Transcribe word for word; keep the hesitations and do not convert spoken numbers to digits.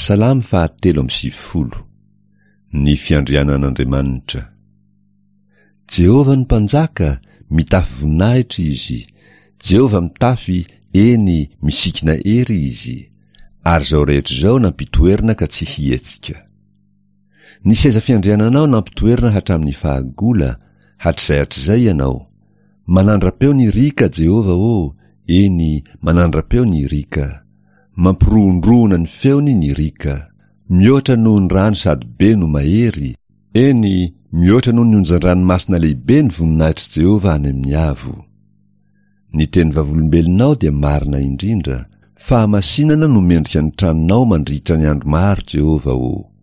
Salamo fahatelo amby sivifolo. Ny fiandrianan'Andriamanitra. Jehovah no Mpanjaka, mitafy voninahitra Izy. Jehovah mitafy, eny, misikina hery Izy. Ary izao rehetra izao nampitoerina ka tsy hihetsika. Ny seza fiandriananao nampitoerina hatramin'ny fahagola, hatrizay hatrizay ianao. Manandra-peo ny riaka, Jehovah ô, eny, manandra-peo ny riaka. Mampirohondrohona ny feony ny riaka. Mihoatra noho ny rano sady be no mahery, eny, mihoatra noho ny onjan-dranomasina lehibe ny voninahitr'i Jehovah any amin'ny avo. Ny teny vavolombelonao dia marina indrindra, fahamasinana no mendrika ny tranonao mandritra ny andro maro, Jehovah ô.